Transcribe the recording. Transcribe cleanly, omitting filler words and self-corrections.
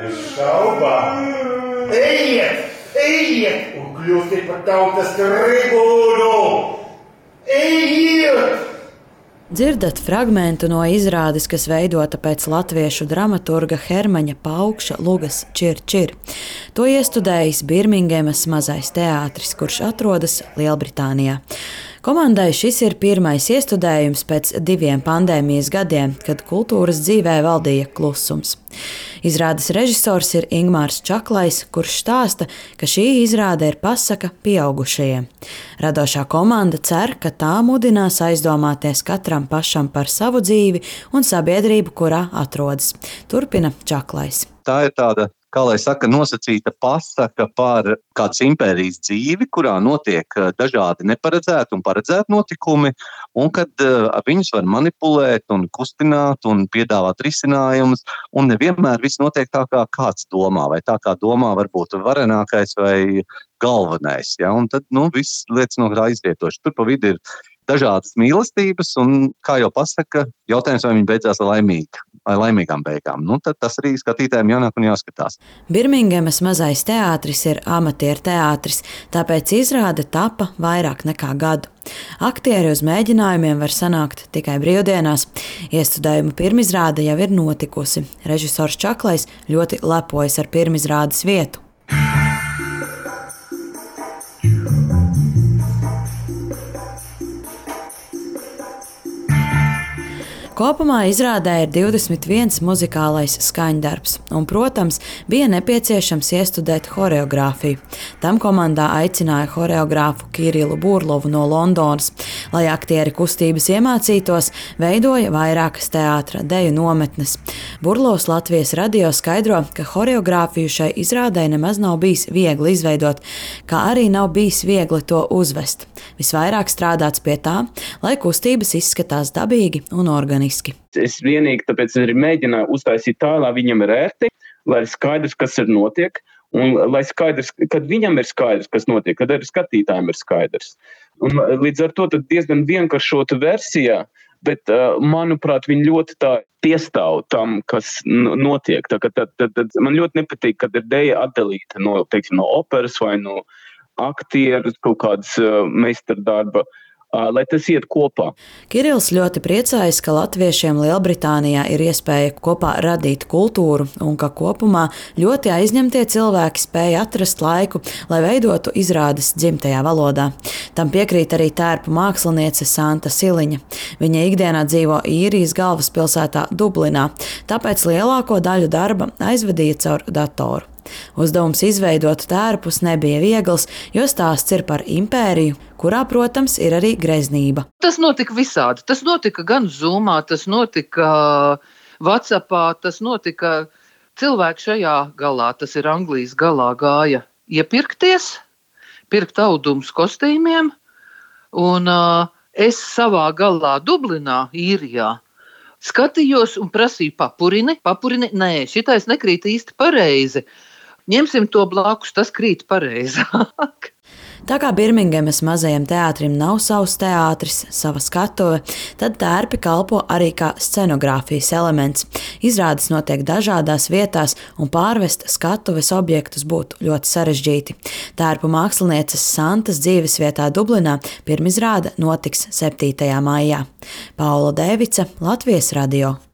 Bez šaubām. Ejiet un kļūstiet par tautas tribūnu! Ejiet! Dzirdat fragmentu no izrādes, kas veidota pēc latviešu dramaturga Hermaņa Paukša Lugas Čir Čir. To iestudējis Birmingemas mazais teātris, kurš atrodas Lielbritānijā. Komandai šis ir pirmais iestudējums pēc 2 pandēmijas gadiem, kad kultūras dzīvē valdīja klusums. Izrādes režisors ir Ingmārs Čaklais, kurš stāsta, ka šī izrāde ir pasaka pieaugušajiem. Radošā komanda cer, ka tā mudinās aizdomāties katram pašam par savu dzīvi un sabiedrību, kurā atrodas. Turpina Čaklais. Tā ir tāda, kā lai saka, nosacīta pasaka par kādas impērijas dzīvi, kurā notiek dažādi neparedzēti un paredzēti notikumi, un kad viņus var manipulēt un kustināt un piedāvāt risinājumus, un nevienmēr viss notiek tā, kā kāds domā, vai tā kā domā varbūt varenākais vai galvenais. Ja? Un tad, viss lietas no tā izvietoši. Tur pa vidu ir dažādas mīlestības, un, kā jau pasaka, jautājums, vai viņi beidzās ar laimīgām beigām. Tad tas arī skatītājiem jānāk un jāskatās. Birmingemas mazais teātris ir amatieru teātris, tāpēc izrāde tapa vairāk nekā gadu. Aktieri uz mēģinājumiem var sanākt tikai brīvdienās. Iestudējumu pirmizrāde jau ir notikusi. Režisors Čaklais ļoti lepojas ar pirmizrādes vietu. Kopumā izrādē ir 21 muzikālais skaņdarbs, un, protams, bija nepieciešams iestudēt horeogrāfiju. Tam komandā aicināja horeogrāfu Kirilu Burlovu no Londonas. Lai aktieri kustības iemācītos, veidoja vairākas teātra deju nometnes. Burlovs Latvijas radio skaidro, ka horeogrāfiju šai izrādē nemaz nav bijis viegli izveidot, kā arī nav bijis viegli to uzvest. Visvairāk strādāts pie tā, lai kustības izskatās dabīgi un organiski. Es vienīgi tāpēc arī mēģināju uztaisīt tā, lai viņam ir ērti, lai ir skaidrs, kas ir notiek, un lai skaidrs, kad viņam ir skaidrs, kas notiek, kad arī skatītājiem ir skaidrs. Un līdz ar to tad diezgan vienkāršota versijā, bet, manuprāt, viņi ļoti tā piestāv tam, kas notiek. Tad man ļoti nepatīk, kad ir deja atdalīta no operas vai no aktieru kaut kādas meistardarba, lai tas iet kopā. Kirils ļoti priecājas, ka latviešiem Lielbritānijā ir iespēja kopā radīt kultūru un ka kopumā ļoti aizņemtie cilvēki spēja atrast laiku, lai veidotu izrādes dzimtajā valodā. Tam piekrīt arī tērpu māksliniece Santa Siliņa. Viņa ikdienā dzīvo Īrijas galvaspilsētā Dublinā, tāpēc lielāko daļu darba aizvadīja caur datoru. Uzdevums izveidot tērpus nebija viegls, jo stāsts ir par impēriju, kurā, protams, ir arī greznība. Tas notika visādi. Tas notika gan Zoomā, tas notika WhatsAppā, tas notika cilvēki šajā galā, tas ir Anglijas galā, gāja iepirkties, pirkt audumus kostīmiem, un es savā galā Dublinā, Īrijā, skatījos un prasīju papurini, nē, šitais nekrīt īsti pareizi. Ņemsim to blakus, tas krīt pareizāk. Tā kā Birmingemas mazajam teātrim nav savs teātris, sava skatuve, tad tērpi kalpo arī kā scenogrāfijas elements. Izrādes notiek dažādās vietās, un pārvest skatuves objektus būtu ļoti sarežģīti. Tērpu mākslinieces Santas dzīvesvietā Dublinā pirmizrāde notiks 7. maijā. Paula Dēvica, Latvijas radio.